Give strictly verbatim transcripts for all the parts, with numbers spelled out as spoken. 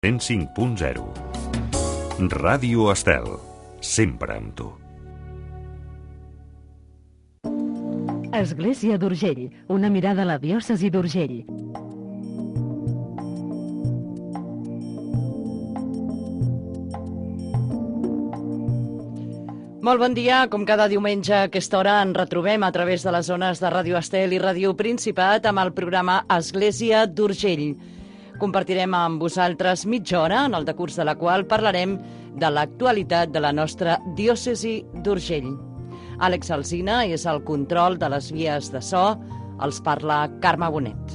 cent cinc punt zero. Ràdio Estel, sempre amb tu. Església d'Urgell, una mirada a la diòcesi d'Urgell. Molt bon dia, com cada diumenge a aquesta hora ens retrobem a través de les zones de Ràdio Estel i Ràdio Principat amb el programa Església d'Urgell. Compartirem amb vosaltres mitja hora, en el decurs de la qual parlarem de l'actualitat de la nostra diòcesi d'Urgell. Àlex Alsina és el control de les vies de so, els parla Carme Bonet.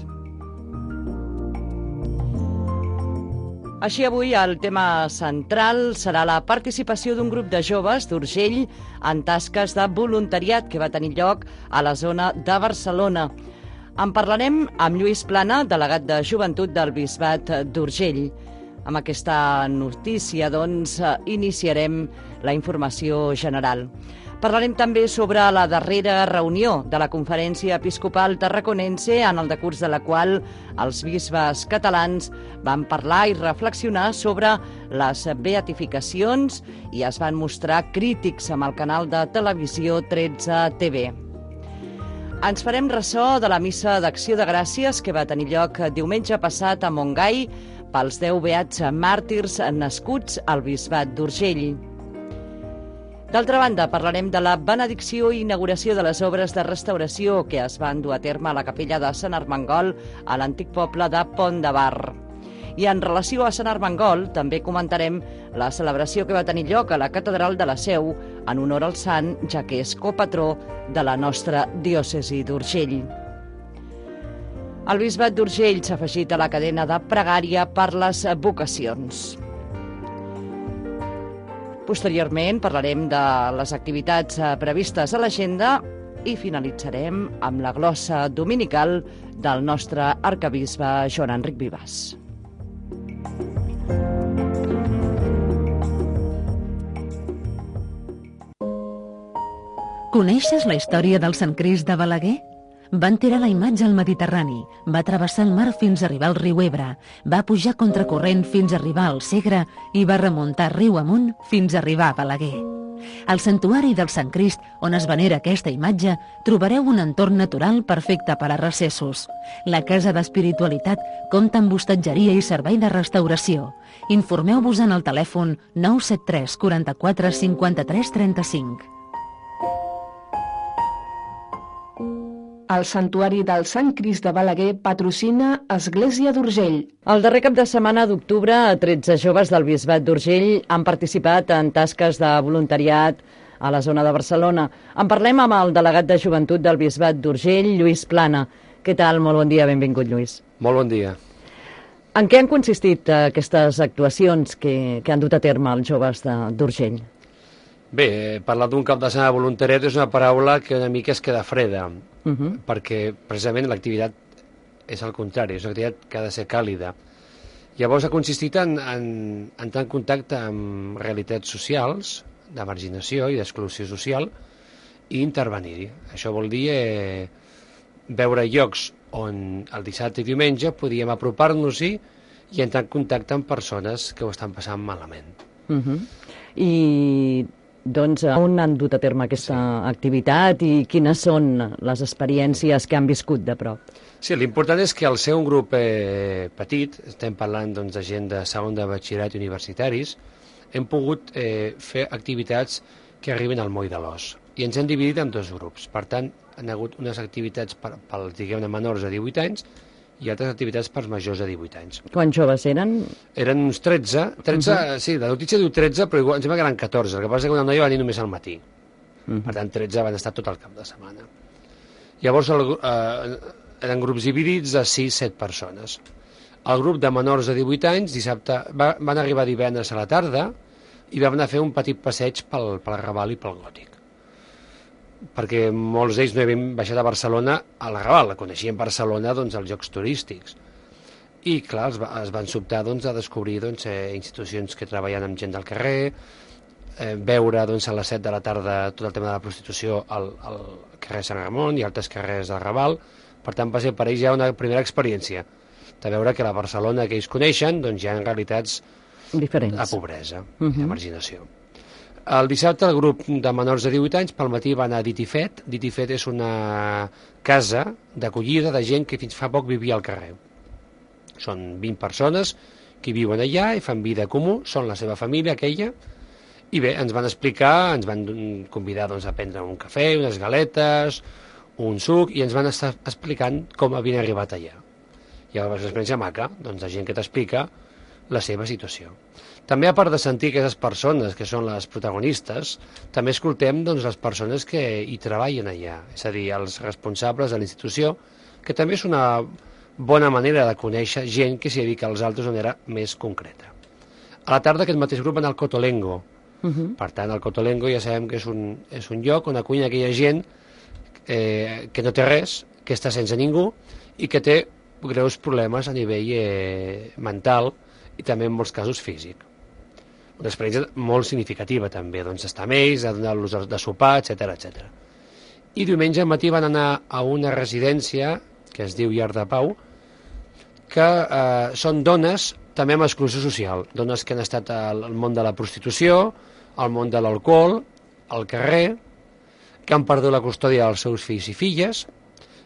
Així avui el tema central serà la participació d'un grup de joves d'Urgell en tasques de voluntariat que va tenir lloc a la zona de Barcelona. En parlarem amb Lluís Plana, delegat de Joventut del Bisbat d'Urgell. Amb aquesta notícia, doncs, iniciarem la informació general. Parlarem també sobre la darrera reunió de la Conferència Episcopal Tarraconense, en el decurs de la qual els bisbes catalans van parlar i reflexionar sobre les beatificacions i es van mostrar crítics amb el canal de televisió tretze T V. Ens farem ressò de la missa d'Acció de Gràcies que va tenir lloc diumenge passat a Montgai pels deu beats màrtirs nascuts al Bisbat d'Urgell. D'altra banda, parlarem de la benedicció i inauguració de les obres de restauració que es van dur a terme a la capella de Sant Armengol, a l'antic poble de Pont de Bar. I en relació a Sant Armengol, també comentarem la celebració que va tenir lloc a la Catedral de la Seu en honor al sant, ja que és copatró de la nostra diòcesi d'Urgell. El Bisbat d'Urgell s'ha afegit a la cadena de pregària per les vocacions. Posteriorment parlarem de les activitats previstes a l'agenda i finalitzarem amb la glossa dominical del nostre arquebisbe Joan Enric Vivàs. Coneixes la història del Sant Crist de Balaguer? Van tirar la imatge al Mediterrani, va travessar el mar fins a arribar al riu Ebre, va pujar contracorrent fins a arribar al Segre i va remuntar riu amunt fins a arribar a Balaguer. Al santuari del Sant Crist, on es venera aquesta imatge, trobareu un entorn natural perfecte per a recessos. La Casa d'Espiritualitat compta amb hostatgeria i servei de restauració. Informeu-vos en el telèfon nou set tres quaranta-quatre cinquanta-tres trenta-cinc. El Santuari del Sant Crist de Balaguer patrocina Església d'Urgell. El darrer cap de setmana d'octubre, tretze joves del Bisbat d'Urgell han participat en tasques de voluntariat a la zona de Barcelona. En parlem amb el delegat de Joventut del Bisbat d'Urgell, Lluís Plana. Què tal? Molt bon dia, benvingut, Lluís. Molt bon dia. En què han consistit aquestes actuacions que, que han dut a terme els joves d'Urgell? Bé, parlar d'un cap de setmana de voluntariat és una paraula que una mica es queda freda, uh -huh. perquè precisament l'activitat és al contrari, és una activitat que ha de ser càlida. Llavors ha consistit en, en, en entrar en contacte amb realitats socials, de marginació i d'exclusió social, i intervenir-hi. Això vol dir eh, veure llocs on el dissabte i diumenge podíem apropar-nos-hi i entrar en contacte amb persones que ho estan passant malament. Uh -huh. I... Doncs on han dut a terme aquesta sí. activitat i quines són les experiències que han viscut de prop? Sí, l'important és que al ser un grup eh, petit, estem parlant doncs, de gent de segon de batxillerat i universitaris, hem pogut eh, fer activitats que arriben al moll de l'os. I ens hem dividit en dos grups. Per tant, han hagut unes activitats per, per diguem-ne, menors de divuit anys i altres activitats per majors de divuit anys. Quants joves eren? Eren uns tretze. tretze, uh -huh. Sí, la notícia diu tretze, però igual, em sembla que eren catorze. El que passa és que una noia va venir només al matí. Uh -huh. Per tant, tretze van estar tot el cap de setmana. Llavors, el, eh, eren grups dividits de sis set persones. El grup de menors de divuit anys, dissabte, va, van arribar divendres a la tarda i vam anar a fer un petit passeig pel, pel Raval i pel Gòtic. Perquè molts d'ells no havien baixat a Barcelona a la Raval, coneixien Barcelona doncs, als llocs turístics. I, clar, es, va, es van sobtar doncs, a descobrir doncs, eh, institucions que treballen amb gent del carrer, eh, veure doncs, a les set de la tarda tot el tema de la prostitució al, al carrer Sant Ramon i altres carrers del Raval. Per tant, va ser per ells ja una primera experiència. de veure que la Barcelona que ells coneixen doncs hi ha realitats diferents. de pobresa, Uh-huh. de marginació. El dissabte el grup de menors de divuit anys pel matí va anar a Ditifet. Ditifet és una casa d'acollida de gent que fins fa poc vivia al carrer. Són vint persones que viuen allà i fan vida comú, són la seva família aquella, i bé, ens van explicar, ens van convidar doncs, a prendre un cafè, unes galetes, un suc, i ens van estar explicant com havien arribat allà. I és una experiència maca, doncs, de gent que t'explica la seva situació. També, a part de sentir aquestes persones que són les protagonistes, també escoltem doncs, les persones que hi treballen allà, és a dir, els responsables de la institució, que també és una bona manera de conèixer gent que s'hi dedica als altres d'una manera més concreta. A la tarda aquest mateix grup va anar al Cotolengo. Uh-huh. Per tant, el Cotolengo ja sabem que és un, és un lloc on acullen aquella gent eh, que no té res, que està sense ningú i que té greus problemes a nivell eh, mental i també en molts casos físic. Una experiència molt significativa també, doncs estar amb ells, a donar-los de sopar, etcètera, etcètera. I diumenge al matí van anar a una residència que es diu Llar de Pau, que eh, són dones també amb exclusió social, dones que han estat al, al món de la prostitució, al món de l'alcohol, al carrer, que han perdut la custòdia dels seus fills i filles,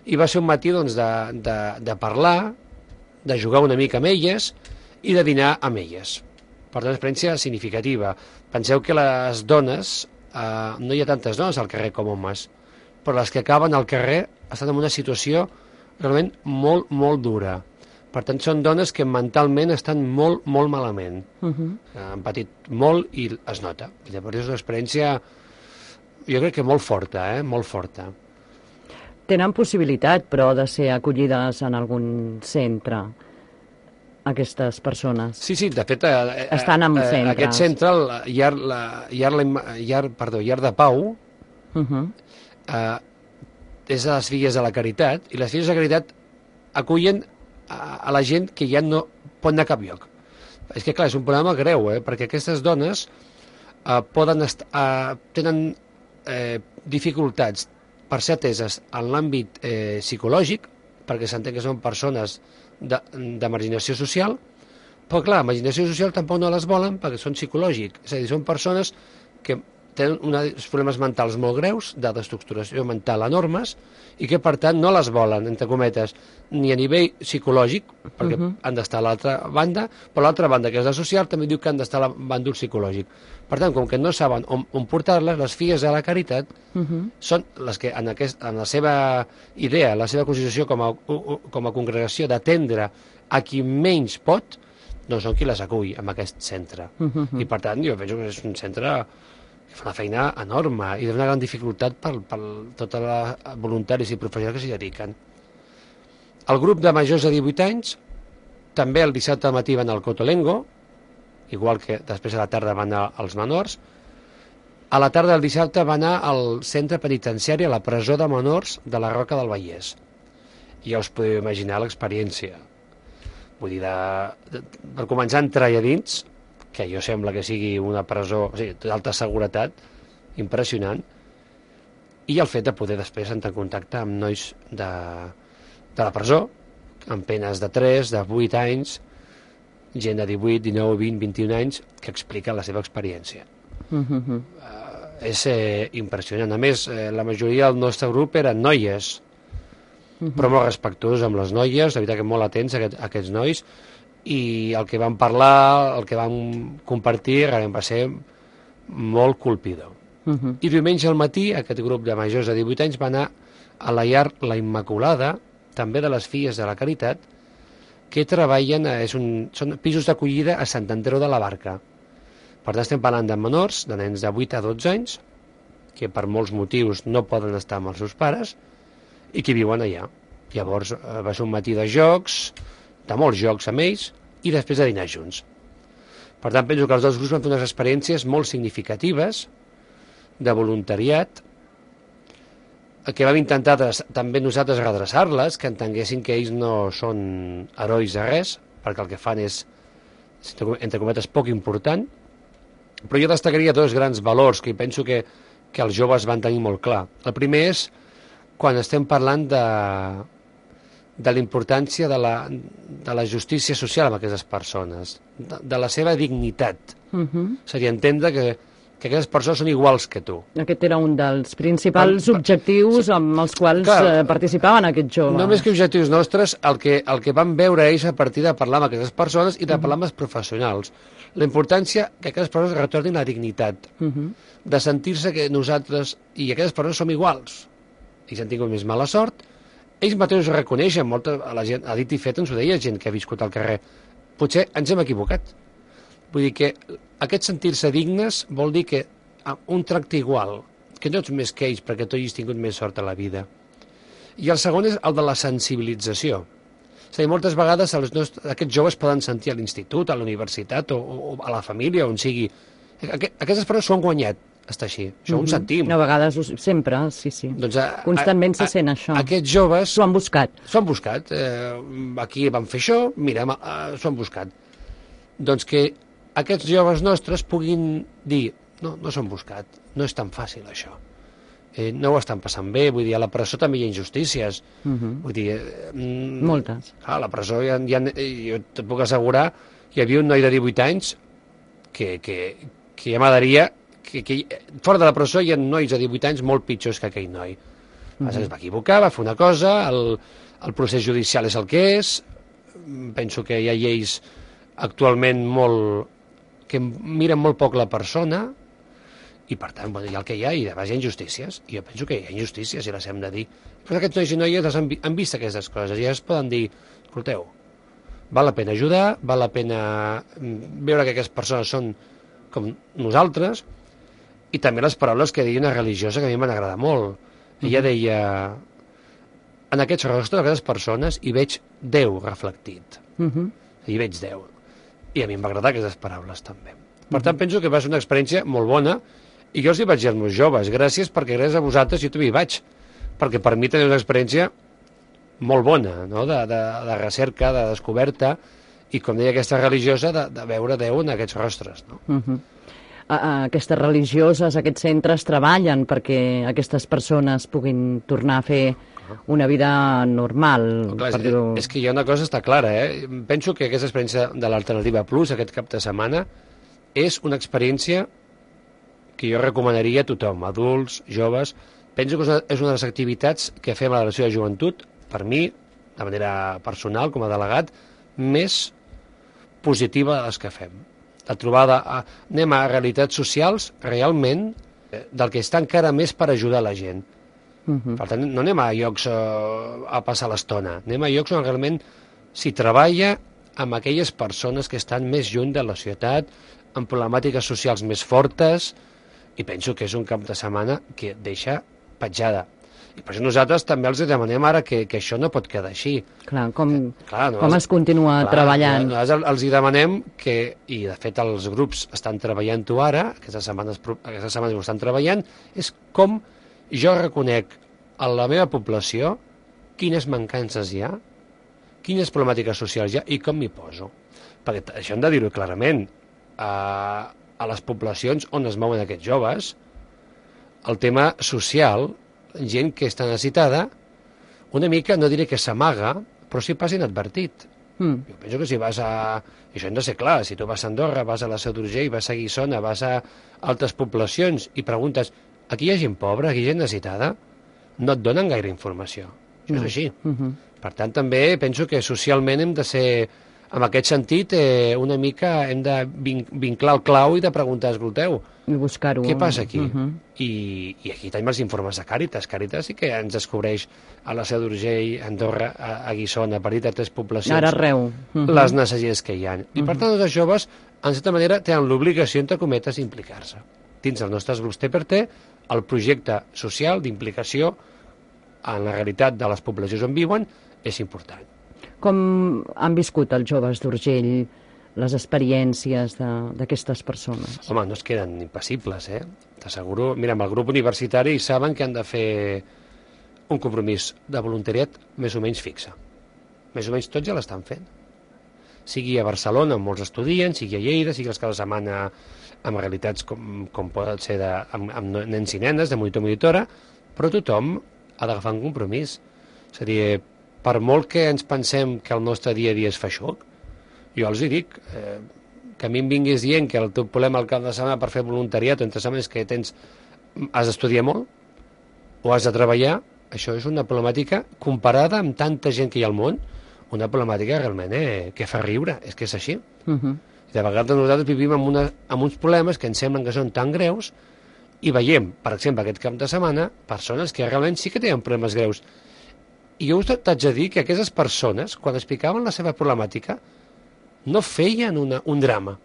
i va ser un matí doncs, de, de, de parlar, de jugar una mica amb elles i de dinar amb elles. Per tant, una experiència significativa. Penseu que les dones, eh, no hi ha tantes dones al carrer com homes, però les que acaben al carrer estan en una situació realment molt, molt dura. Per tant, són dones que mentalment estan molt, molt malament. Uh-huh. Han patit molt i es nota. Llavors és una experiència, jo crec que molt forta, eh? molt forta. Tenen possibilitat, però, de ser acollides en algun centre, aquestes persones? Sí, sí, de fet... Eh, Estan en eh, centres. Aquest centre, el Llar, la, Llar, la, Llar, perdó, Llar de Pau, Uh-huh. eh, és de les Filles de la Caritat, i les Filles de la Caritat acullen a, a la gent que ja no pot anar a cap lloc. És que, clar, és un problema greu, eh? Perquè aquestes dones eh, poden est eh, tenen eh, dificultats per ser ateses en l'àmbit eh, psicològic, perquè s'entén que són persones de, de marginació social, però, clar, marginació social tampoc no les volen perquè són psicològics. És a dir, són persones que tenen uns problemes mentals molt greus, de destructuració mental enormes, i que, per tant, no les volen, entre cometes, ni a nivell psicològic, perquè uh-huh. han d'estar a l'altra banda, però l'altra banda, que és la social, també diu que han d'estar a la bàndol psicològic. Per tant, com que no saben on, on portar-les, les Filles de la Caritat uh-huh. són les que, en, aquest, en la seva idea, la seva constitució com a, com a congregació d'atendre a qui menys pot, doncs són qui les acull en aquest centre. Uh-huh. I, per tant, jo penso que és un centre que fa una feina enorme i d'una gran dificultat per, per tots els voluntaris i professionals que s'hi dediquen. El grup de majors de divuit anys també el dissabte al matí van al Cotolengo, igual que després a la tarda van anar als menors. A la tarda del dissabte va anar al centre penitenciari, a la presó de menors de la Roca del Vallès. I ja us podeu imaginar l'experiència. Vull dir, de, de, per començar a entrar allà dins, que jo sembla que sigui una presó, o sigui, d'alta seguretat, impressionant, i el fet de poder després entrar en contacte amb nois de, de la presó, amb penes de tres, de vuit anys, gent de divuit, dinou, vint, vint-i-un anys, que explica la seva experiència. Uh-huh. Uh, és eh, impressionant. A més, eh, la majoria del nostre grup eren noies, uh-huh. però molt respectuosos amb les noies, de veritat que molt atents a, aquest, a aquests nois, i el que vam parlar, el que vam compartir, realment va ser molt colpidor. Uh-huh. I diumenge al matí, aquest grup de majors de divuit anys va anar a la Llar La Immaculada, també de les Filles de la Caritat, que treballen, és un, són pisos d'acollida a Sant Andreu de la Barca. Per tant, estem parlant de menors, de nens de vuit a dotze anys, que per molts motius no poden estar amb els seus pares, i que viuen allà. Llavors va ser un matí de jocs, de molts jocs amb ells, i després de dinar junts. Per tant, penso que els dos grups van fer unes experiències molt significatives de voluntariat, que vam intentar també nosaltres redreçar-les, que entenguessin que ells no són herois de res, perquè el que fan és, entre cometes, poc important, però jo destacaria dos grans valors que penso que, que els joves van tenir molt clar. El primer és quan estem parlant de, de la importància de la, de la justícia social amb aquestes persones, de, de la seva dignitat. Uh -huh. Seria entendre que, que aquestes persones són iguals que tu. Aquest era un dels principals Per- per- objectius sí. amb els quals Clar, eh, participaven aquests joves. No més que objectius nostres, el que, el que van veure ells a partir de parlar amb aquestes persones i de parlar amb els professionals. La importància que aquestes persones retornin la dignitat, Uh -huh. de sentir-se que nosaltres i aquestes persones som iguals. I si han tingut més mala sort, ells mateixos ho reconeixen, molta, la gent, a dit i fet ens ho deia gent que ha viscut al carrer. Potser ens hem equivocat. Vull dir que aquest sentir-se dignes vol dir que un tracte igual, que no ets més que ells perquè tu hagis tingut més sort a la vida. I el segon és el de la sensibilització. És a dir, moltes vegades els nostres, aquests joves poden sentir a l'institut, a la universitat o, o a la família, on sigui. Aqu aquestes persones s'ho han guanyat, està així. Això uh -huh. ho sentim. A vegades, ho- sempre, sí, sí. Doncs a, Constantment a, se a, sent això. Aquests joves S'ho han buscat. s'ho han buscat. Eh, aquí van fer això, mira, eh, s'ho han buscat. Doncs que aquests joves nostres puguin dir no, no s'ho han buscat, no és tan fàcil això. Eh, no ho estan passant bé, vull dir, a la presó també hi ha injustícies. Uh -huh. Vull dir... Eh, mm, Moltes. A la presó hi ha, hi ha, jo et puc assegurar, hi havia un noi de divuit anys que, que, que ja m'agradaria que, que fora de la presó hi ha nois de divuit anys molt pitjors que aquell noi. Uh -huh. Es va equivocar, va fer una cosa, el, el procés judicial és el que és, penso que hi ha lleis actualment molt que miren molt poc la persona i per tant bueno, hi ha el que hi ha i de base hi ha injustícies i jo penso que hi ha injustícies i les hem de dir, però aquests nois i noies han, han vist aquestes coses i ja es poden dir escolteu, val la pena ajudar, val la pena veure que aquestes persones són com nosaltres i també les paraules que deia una religiosa que a mi m'han agradat molt. Ella deia en aquests rostres d'aquestes persones hi veig Déu reflectit. Uh -huh. Hi veig Déu. I a mi em va agradar aquestes paraules també. Per tant, penso que va ser una experiència molt bona i jo els hi vaig dir als meus joves, gràcies perquè gràcies a vosaltres jo també hi vaig, perquè per mi tenia una experiència molt bona, no? de, de, de recerca, de descoberta, i com deia aquesta religiosa, de, de veure Déu en aquests rostres. No? Uh -huh. a, a aquestes religioses, aquests centres treballen perquè aquestes persones puguin tornar a fer una vida normal. Clar, per és, dir-ho. és que hi ha una cosa està clara, eh? Penso que aquesta experiència de l'Alternativa Plus, aquest cap de setmana, és una experiència que jo recomanaria a tothom, adults, joves. Penso que és una, és una de les activitats que fem a la Delegació de Joventut, per mi, de manera personal, com a delegat, més positiva de les que fem. La trobada, a, anem a realitats socials, realment, eh, del que està encara més per ajudar la gent. Uh -huh. Per tant, no anem a llocs uh, a passar l'estona, anem a llocs on realment s'hi treballa amb aquelles persones que estan més lluny de la societat, amb problemàtiques socials més fortes, i penso que és un cap de setmana que deixa petjada. I per això nosaltres també els demanem ara que, que això no pot quedar així. Clar, com, Clar, no, com es continua clar, treballant. Nosaltres els hi demanem que, i de fet els grups estan treballant-ho ara, aquestes setmanes, aquestes setmanes ho estan treballant, és com jo reconec a la meva població quines mancances hi ha, quines problemàtiques socials hi ha i com m'hi poso. Perquè això hem de dir-ho clarament. A, a les poblacions on es mouen aquests joves, el tema social, gent que està necessitada, una mica, no diré que s'amaga, però sí passa inadvertit. Mm. Jo penso que si vas a... I això hem de ser clar, si tu vas a Andorra, vas a la Seu d'Urgell, vas a Guissona, vas a altres poblacions i preguntes aquí hi ha gent pobra, aquí hi ha gent necessitada, no et donen gaire informació. Això No. és així. Uh -huh. Per tant, també penso que socialment hem de ser, en aquest sentit, eh, una mica hem de vin vinclar el clau i de preguntar, escolteu, I buscar-ho. què passa aquí? Uh -huh. I, I aquí tenim els informes de Càritas. Càritas sí que ens descobreix a la Seu d'Urgell, a Andorra, a, a Guissona, a partir de tres poblacions, Ara arreu. Uh -huh. les necessitats que hi ha. I per tant, els joves, en certa manera, tenen l'obligació, entre cometes, d'implicar-se. Dins dels nostres grups T per T, el projecte social d'implicació en la realitat de les poblacions on viuen és important. Com han viscut els joves d'Urgell les experiències d'aquestes persones? Home, no es queden impassibles, eh? T'asseguro... Mira, amb el grup universitari saben que han de fer un compromís de voluntariat més o menys fixe. Més o menys tots ja l'estan fent. Sigui a Barcelona amb molts estudiants, sigui a Lleida, sigui els cada setmana amb realitats com, com poden ser de, amb, amb nens i nenes, de monitor monitora, però tothom ha d'agafar un compromís. És a dir, per molt que ens pensem que el nostre dia a dia és feixuc, jo els hi dic, eh, que a mi em vinguis dient que el teu problema al cap de setmana per fer voluntariat o entre setmanes que tens, has d'estudiar molt o has de treballar, això és una problemàtica comparada amb tanta gent que hi ha al món, una problemàtica realment eh, que fa riure, és que és així. Uh-huh. De vegades nosaltres vivim amb, una, amb uns problemes que ens semblen que són tan greus i veiem, per exemple, aquest cap de setmana, persones que realment sí que tenen problemes greus. I jo us t'haig de dir que aquestes persones, quan explicaven la seva problemàtica, no feien una, un drama.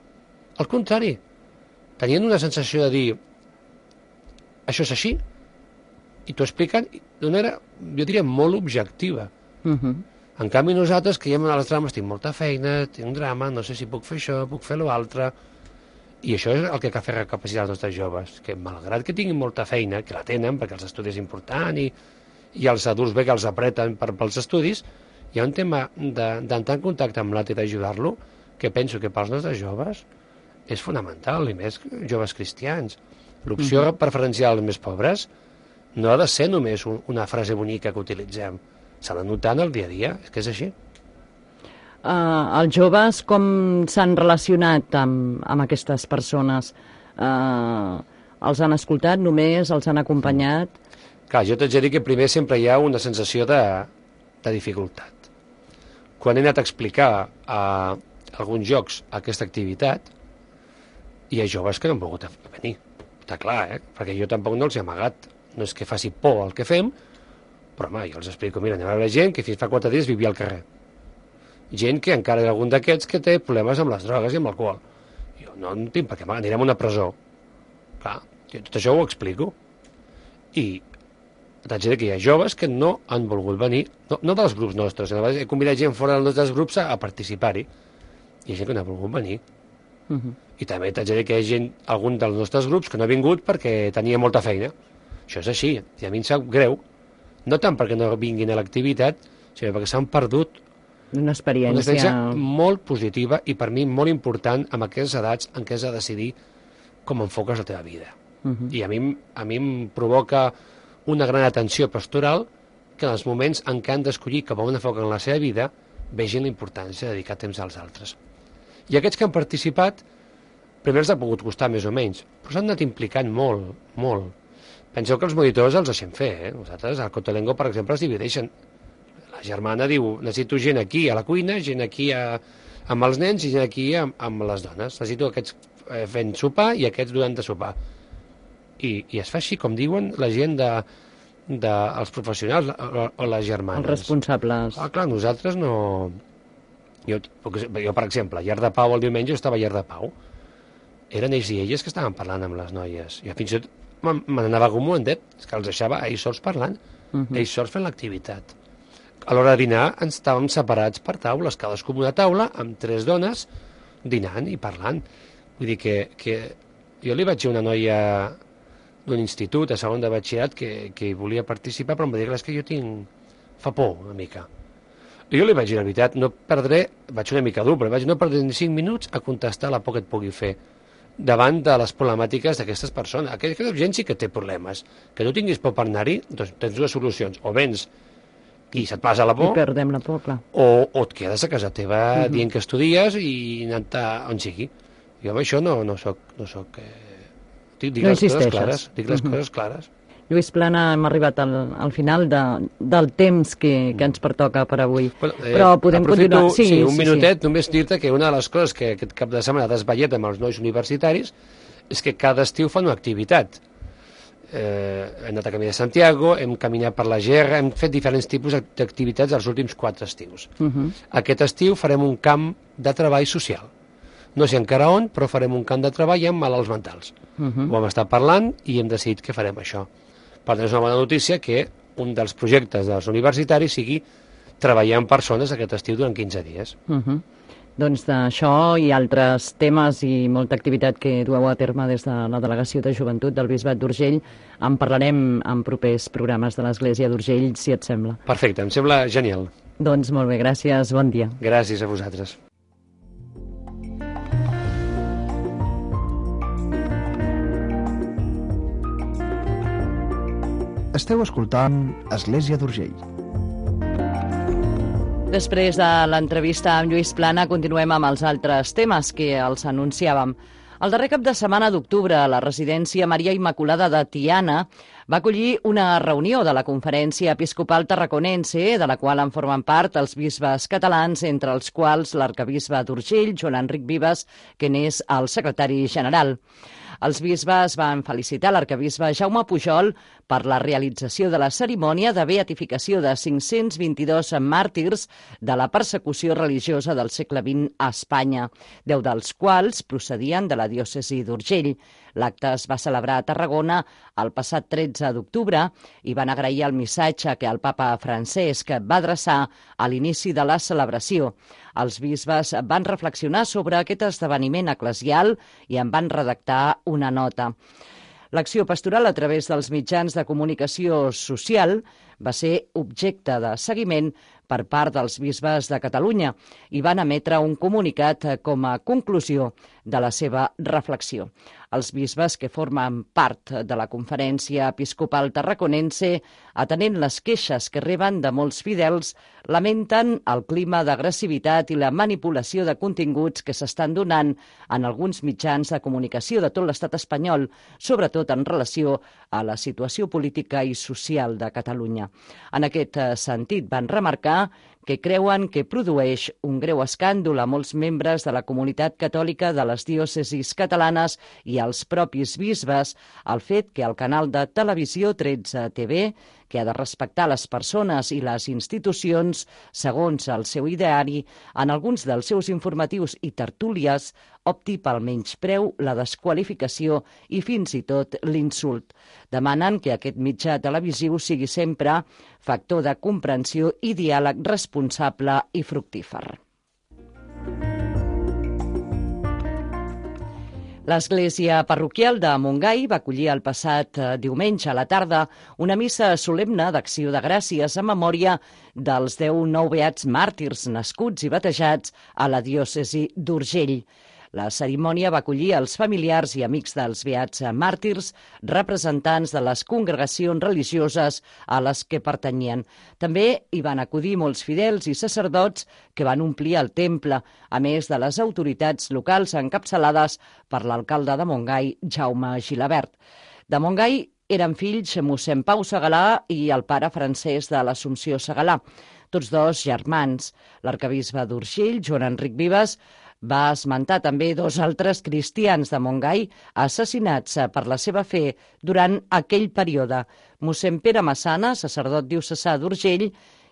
Al contrari, tenien una sensació de dir això és així, i t'ho expliquen d'una manera, jo diria, molt objectiva. Uh-huh. En canvi, nosaltres que hi hem a les drames, tinc molta feina, tinc un drama, no sé si puc fer això, puc fer l'altre, i això és el que cal fer recapacitar els nostres joves, que malgrat que tinguin molta feina, que la tenen, perquè els estudis és important, i, i els adults bé que els apreten per, pels estudis, hi ha un tema d'entrar en contacte amb l'altre i d'ajudar-lo, que penso que pels nostres joves és fonamental, i més joves cristians. L'opció mm-hmm. preferencial als més pobres no ha de ser només un, una frase bonica que utilitzem, s'ha de notar en el dia a dia, és que és així. Uh, els joves com s'han relacionat amb, amb aquestes persones? Uh, els han escoltat només, els han acompanyat? Clar, jo t'haig de dir que primer sempre hi ha una sensació de, de dificultat. Quan he anat a explicar a alguns jocs aquesta activitat, hi ha joves que no han volgut venir. Està clar, eh? Perquè jo tampoc no els he amagat. No és que faci por el que fem, però home, jo els explico, mira, anem a veure gent que fins fa quatre dies vivia al carrer. Gent que encara hi ha algun d'aquests que té problemes amb les drogues i amb l'alcohol. Jo no en tinc per què amagar, anirem a una presó. Clar, jo tot això ho explico. I t'haig de dir que hi ha joves que no han volgut venir, no, no dels grups nostres, he convidat gent fora dels nostres grups a, a participar-hi. Hi ha gent que no ha volgut venir. Uh-huh. I també t'haig de dir que hi ha gent, algun dels nostres grups, que no ha vingut perquè tenia molta feina. Això és així, i a mi em sap greu, no tant perquè no vinguin a l'activitat, sinó perquè s'han perdut una experiència... una experiència molt positiva i per mi molt important amb aquestes edats en què has de decidir com enfoques la teva vida. Uh-huh. I a mi, a mi em provoca una gran atenció pastoral que en els moments en què han d'escollir cap a on enfoquen la seva vida vegin la importància de dedicar temps als altres. I aquests que han participat, primer els ha pogut costar més o menys, però s'han anat implicant molt, molt. Penseu que els monitors els deixem fer, eh? Nosaltres, al Cotolengo, per exemple, es divideixen. La germana diu, necessito gent aquí a la cuina, gent aquí a, amb els nens i gent aquí amb, amb les dones. Necessito aquests eh, fent sopar i aquests durant de sopar. I, i es fa així, com diuen la gent de, de els professionals o, o les germanes. Els responsables. Ah, clar, nosaltres no... Jo, jo, per exemple, a Llar de Pau el diumenge estava a Llar de Pau. Eren ells i elles que estaven parlant amb les noies. Jo fins i tot me n'anava com un endet, és que els deixava ells sols parlant, uh-huh. ells sols fent l'activitat. A l'hora de dinar ens estàvem separats per taules, cadascú en una taula, amb tres dones, dinant i parlant. Vull dir que, que jo li vaig dir a una noia d'un institut, a segon de batxillerat, que, que hi volia participar, però em va dir, és que jo tinc... fa por una mica. I jo li vaig dir, la veritat, no perdré, vaig una mica dur, però vaig no perdré ni cinc minuts a contestar la por que et pugui fer davant de les problemàtiques d'aquestes persones. Aquesta gent sí que té problemes. Que tu tinguis por per anar-hi, doncs tens dues solucions. O vens i se't passa la por, i perdem la por, clar. O, o et quedes a casa teva uh-huh. dient que estudies i anant on sigui. Jo amb això no, no soc... No soc eh... dic, dic no les coses clares. Dic les uh-huh. coses clares. Lluís Plana, hem arribat al, al final de, del temps que, que ens pertoca per avui. Bueno, eh, Però podem aprofito, continuar. Sí, sí, un sí, minutet, sí. Només dir-te que una de les coses que aquest cap de setmana has ballet amb els nois universitaris és que cada estiu fan una activitat. Eh, hem anat a caminar a Santiago, hem caminat per la G R, hem fet diferents tipus d'activitats els últims quatre estius. Uh-huh. Aquest estiu farem un camp de treball social. No sé encara on, però farem un camp de treball amb malalts mentals. Uh-huh. Ho hem estat parlant i hem decidit que farem això. Per tant, és una bona notícia que un dels projectes dels universitaris sigui treballar amb persones aquest estiu durant quinze dies. Uh-huh. Doncs d'això i altres temes i molta activitat que dueu a terme des de la Delegació de Joventut del Bisbat d'Urgell en parlarem en propers programes de l'Església d'Urgell, si et sembla. Perfecte, em sembla genial. Doncs molt bé, gràcies, bon dia. Gràcies a vosaltres. Esteu escoltant Església d'Urgell. Després de l'entrevista amb Lluís Plana, continuem amb els altres temes que els anunciàvem. El darrer cap de setmana d'octubre, la residència Maria Immaculada de Tiana va acollir una reunió de la Conferència Episcopal Tarraconense, de la qual en formen part els bisbes catalans, entre els quals l'arcabisbe d'Urgell, Joan Enric Vives, que n'és el secretari general. Els bisbes van felicitar l'arcabisbe Jaume Pujol per la realització de la cerimònia de beatificació de cinc-cents vint-i-dos màrtirs de la persecució religiosa del segle vint a Espanya, deu dels quals procedien de la diòcesi d'Urgell. L'acte es va celebrar a Tarragona el passat tretze d'octubre i van agrair el missatge que el papa Francesc va adreçar a l'inici de la celebració. Els bisbes van reflexionar sobre aquest esdeveniment eclesial i en van redactar una nota. L'acció pastoral a través dels mitjans de comunicació social va ser objecte de seguiment per part dels bisbes de Catalunya i van emetre un comunicat com a conclusió de la seva reflexió. Els bisbes que formen part de la Conferència Episcopal Tarraconense, atenent les queixes que reben de molts fidels, lamenten el clima d'agressivitat i la manipulació de continguts que s'estan donant en alguns mitjans de comunicació de tot l'estat espanyol, sobretot en relació a la situació política i social de Catalunya. En aquest sentit, van remarcar que creuen que produeix un greu escàndol a molts membres de la comunitat catòlica de les diòcesis catalanes i als propis bisbes el fet que el canal de televisió tretze T V, que ha de respectar les persones i les institucions segons el seu ideari, en alguns dels seus informatius i tertúlies opti pel menyspreu, la desqualificació i fins i tot l'insult. Demanen que aquest mitjà televisiu sigui sempre factor de comprensió i diàleg responsable i fructífer. L'Església Parroquial de Montgai va acollir el passat diumenge a la tarda una missa solemne d'acció de gràcies en memòria dels deu nou beats màrtirs nascuts i batejats a la diòcesi d'Urgell. La cerimònia va acollir els familiars i amics dels beats màrtirs, representants de les congregacions religioses a les que pertanyien. També hi van acudir molts fidels i sacerdots que van omplir el temple, a més de les autoritats locals encapçalades per l'alcalde de Montgai, Jaume Gilabert. De Montgai eren fills mossèn Pau Segalà i el pare Francesc de l'Assumpció Segalà, tots dos germans. L'arcabisbe d'Urgell, Joan Enric Vives, va esmentar també dos altres cristians de Montgai assassinats per la seva fe durant aquell període. Mossèn Pere Massana, sacerdot diocesà d'Urgell,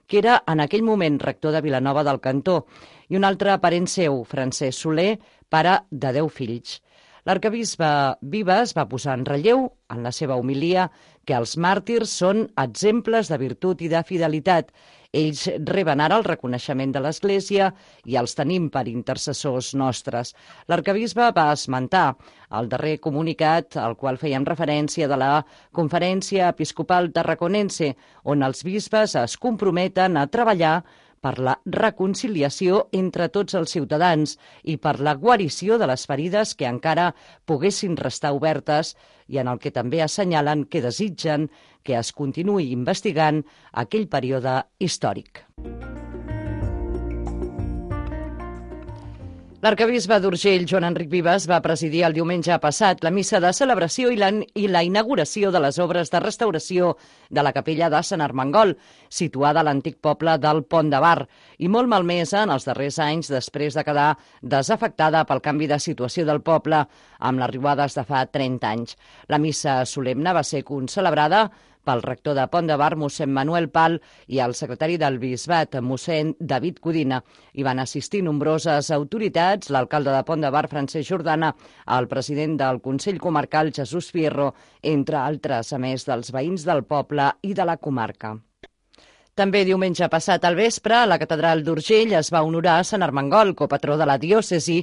que era en aquell moment rector de Vilanova del Cantó, i un altre parent seu, Francesc Soler, pare de deu fills. L'arcabisbe Vives va posar en relleu, en la seva homilia, que els màrtirs són exemples de virtut i de fidelitat. Ells reben ara el reconeixement de l'Església i els tenim per intercessors nostres. L'arcabisbe va esmentar el darrer comunicat al qual fèiem referència de la Conferència Episcopal Tarraconense, on els bisbes es comprometen a treballar per la reconciliació entre tots els ciutadans i per la guarició de les ferides que encara poguessin restar obertes i en el que també assenyalen que desitgen que es continuï investigant aquell període històric. L'arcabisbe d'Urgell, Joan Enric Vives, va presidir el diumenge passat la missa de celebració i la, i la inauguració de les obres de restauració de la capella de Sant Armengol, situada a l'antic poble del Pont de Bar, i molt malmesa en els darrers anys després de quedar desafectada pel canvi de situació del poble amb les riuades de fa trenta anys. La missa solemne va ser concelebrada pel rector de Pont de Bar, mossèn Manuel Pal, i el secretari del bisbat, mossèn David Codina. Hi van assistir nombroses autoritats, l'alcalde de Pont de Bar, Francesc Jordana, el president del Consell Comarcal, Jesús Fierro, entre altres, a més dels veïns del poble i de la comarca. També diumenge passat al vespre, a la catedral d'Urgell es va honorar a Sant Armengol, copatró de la diòcesi,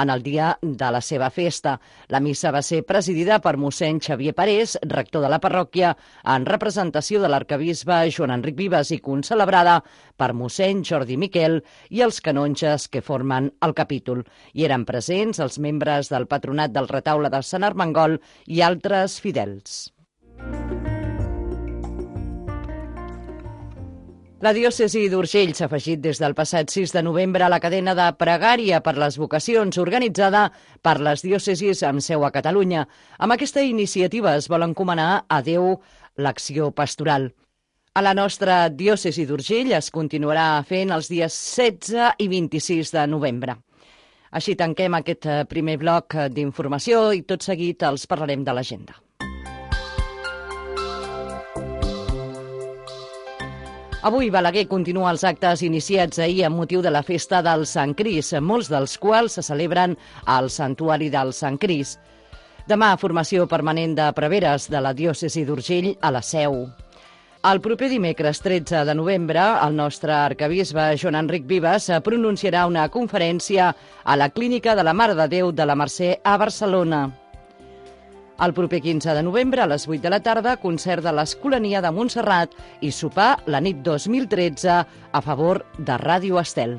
en el dia de la seva festa. La missa va ser presidida per mossèn Xavier Parés, rector de la parròquia, en representació de l'arcabisbe Joan Enric Vives i concelebrada per mossèn Jordi Miquel i els canonges que formen el capítol. Hi eren presents els membres del patronat del retaule de Sant Armengol i altres fidels. La diòcesi d'Urgell s'ha afegit des del passat sis de novembre a la cadena de pregària per les vocacions organitzada per les diòcesis amb seu a Catalunya. Amb aquesta iniciativa es vol encomanar a Déu l'acció pastoral. A la nostra diòcesi d'Urgell es continuarà fent els dies setze i vint-i-sis de novembre. Així tanquem aquest primer bloc d'informació i tot seguit els parlarem de l'agenda. Avui Balaguer continua els actes iniciats ahir amb motiu de la festa del Sant Cris, molts dels quals se celebren al Santuari del Sant Cris. Demà, formació permanent de preveres de la diòcesi d'Urgell a la Seu. El proper dimecres tretze de novembre, el nostre arquebisbe Joan Enric Vives pronunciarà una conferència a la Clínica de la Mare de Déu de la Mercè a Barcelona. El proper quinze de novembre, a les vuit de la tarda, concert de l'Escolania de Montserrat i sopar la nit dos mil tretze a favor de Ràdio Estel.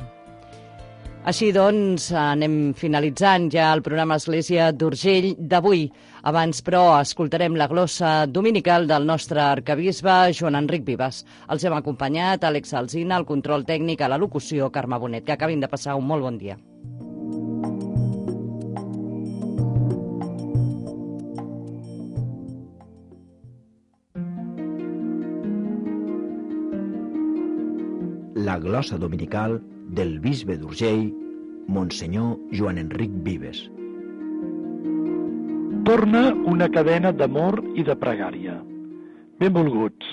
Així doncs, anem finalitzant ja el programa Església d'Urgell d'avui. Abans, però, escoltarem la glossa dominical del nostre arquebisbe Joan Enric Vives. Els hem acompanyat Àlex Alsina, al control tècnic, a la locució, Carme Bonet. Que acabin de passar un molt bon dia. La glossa dominical del bisbe d'Urgell, Monsenyor Joan Enric Vives. Torna una cadena d'amor i de pregària. Benvolguts,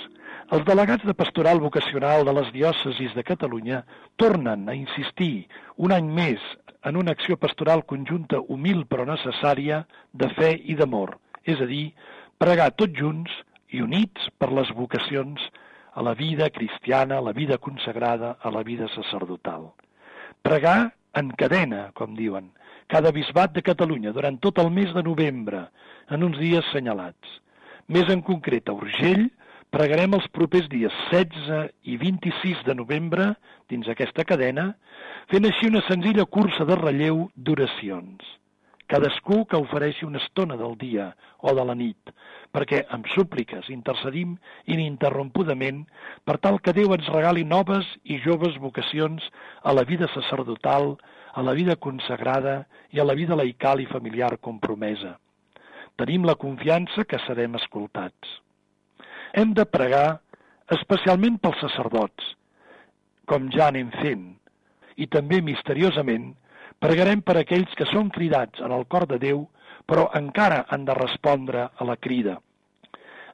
els delegats de Pastoral Vocacional de les diòcesis de Catalunya tornen a insistir un any més en una acció pastoral conjunta humil però necessària de fe i d'amor, és a dir, pregar tots junts i units per les vocacions a la vida cristiana, a la vida consagrada, a la vida sacerdotal. Pregar en cadena, com diuen, cada bisbat de Catalunya durant tot el mes de novembre, en uns dies senyalats. Més en concret, a Urgell, pregarem els propers dies setze i vint-i-sis de novembre, dins aquesta cadena, fent així una senzilla cursa de relleu d'oracions. Cadascú que ofereixi una estona del dia o de la nit, perquè amb súpliques intercedim ininterrompudament per tal que Déu ens regali noves i joves vocacions a la vida sacerdotal, a la vida consagrada i a la vida laical i familiar compromesa. Tenim la confiança que serem escoltats. Hem de pregar especialment pels sacerdots, com ja anem fent, i també misteriosament pregarem per aquells que són cridats en el cor de Déu, però encara han de respondre a la crida.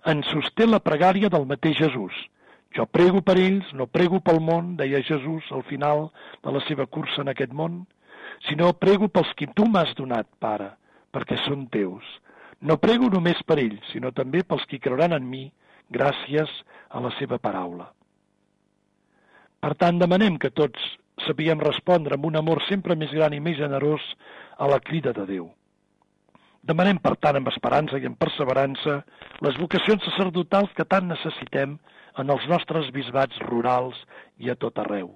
Ens sosté la pregària del mateix Jesús. Jo prego per ells, no prego pel món, deia Jesús al final de la seva cursa en aquest món, sinó prego pels qui tu m'has donat, Pare, perquè són teus. No prego només per ells, sinó també pels qui creuran en mi, gràcies a la seva paraula. Per tant, demanem que tots sapiguem respondre amb un amor sempre més gran i més generós a la crida de Déu. Demanem, per tant, amb esperança i amb perseverança, les vocacions sacerdotals que tant necessitem en els nostres bisbats rurals i a tot arreu.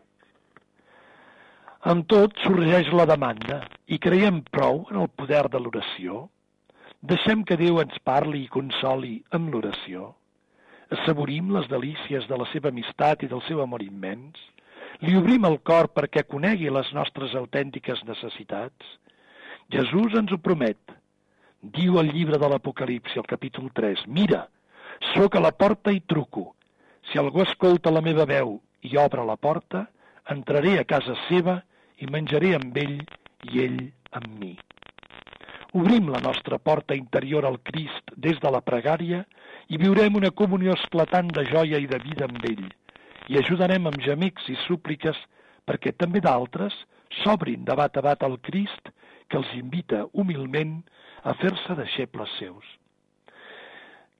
Amb tot, sorgeix la demanda, i creiem prou en el poder de l'oració. Deixem que Déu ens parli i consoli amb l'oració. Assaborim les delícies de la seva amistat i del seu amor immens. Li obrim el cor perquè conegui les nostres autèntiques necessitats. Jesús ens ho promet. Diu al llibre de l'Apocalipsi, al capítol tres, «Mira, sóc a la porta i truco. Si algú escolta la meva veu i obre la porta, entraré a casa seva i menjaré amb ell i ell amb mi». Obrim la nostra porta interior al Crist des de la pregària i viurem una comunió esclatant de joia i de vida amb ell. I ajudarem amb gemecs i súpliques perquè també d'altres s'obrin de bat a bat al Crist que els invita humilment a fer-se deixebles seus.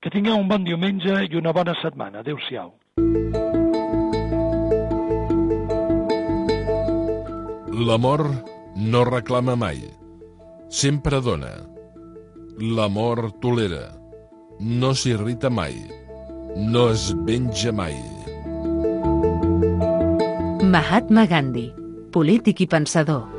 Que tingueu un bon diumenge i una bona setmana. Adéu-siau. L'amor no reclama mai, sempre dona. L'amor tolera, no s'irrita mai, no es venja mai. Mahatma Gandhi, polític i pensador.